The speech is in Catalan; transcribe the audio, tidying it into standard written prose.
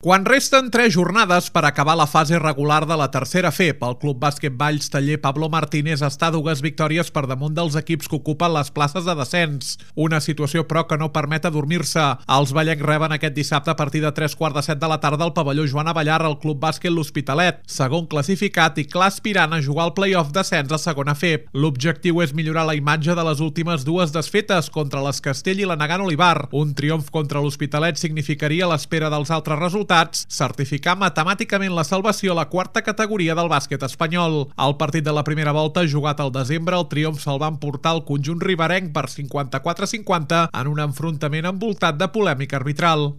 Quan resten 3 jornades per acabar la fase regular de la tercera FEP, el Club Bàsquet Valls Taller Pablo Martínez està a 2 victòries per damunt dels equips que ocupen les places de descens. Una situació, però, que no permet adormir-se. Els ballencs reben aquest dissabte a partir de 3:15 de la tarda al pavelló Joan Abellar al Club Bàsquet L'Hospitalet, segon classificat i clar aspirant a jugar al play-off d'ascens a segona FEP. L'objectiu és millorar la imatge de les últimes 2 desfetes contra les Castell i la Nagant Olivar. Un triomf contra l'Hospitalet significaria, a l'espera dels altres resultats, certificar matemàticament la salvació a la 4a categoria del bàsquet espanyol. El partit de la primera volta, jugat al desembre, el triomf se'l va emportar el conjunt riberenc per 54-50 en un enfrontament envoltat de polèmica arbitral.